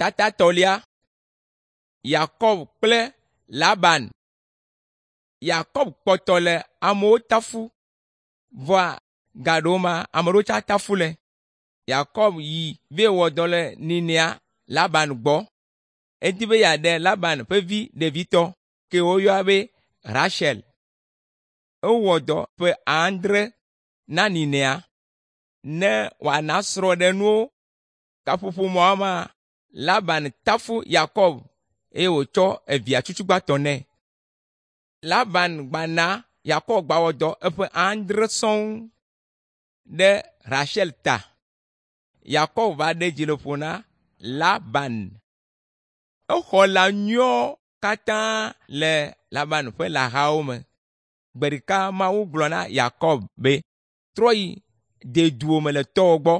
Tatatɔlia Yakob kple Laban. Yakob kpɔtɔ le amewo tafu vɔa gaɖewo ma ame ɖewo tsa tafu le. Yakob yi vɛ wɔ dɔ le nenea Laban gbɔ. Edi be yeaɖe Laban ƒe vi ɖevitɔ ke woyɔa be Rachel. Ewɔ dɔ ƒe adre na nenea ne wòana srɔ̃ɖenuwo. Gaƒoƒo mawo mea, Laban tafu Yakob eye wòtsɔ evia tsutsugbãtɔ nɛ. Laban gbana Yakob gbawɔ dɔ eƒe adre sɔŋ ɖe Rachel ta. Yakob va ɖe dzi le ƒo na Laban. Exɔ lã nyuiwo katã le Laban ƒe lãhawo me. Gbe ɖeka Mawu gblɔ na Yakob be, “Trɔ yi deduwò me le tɔwò gbɔ.”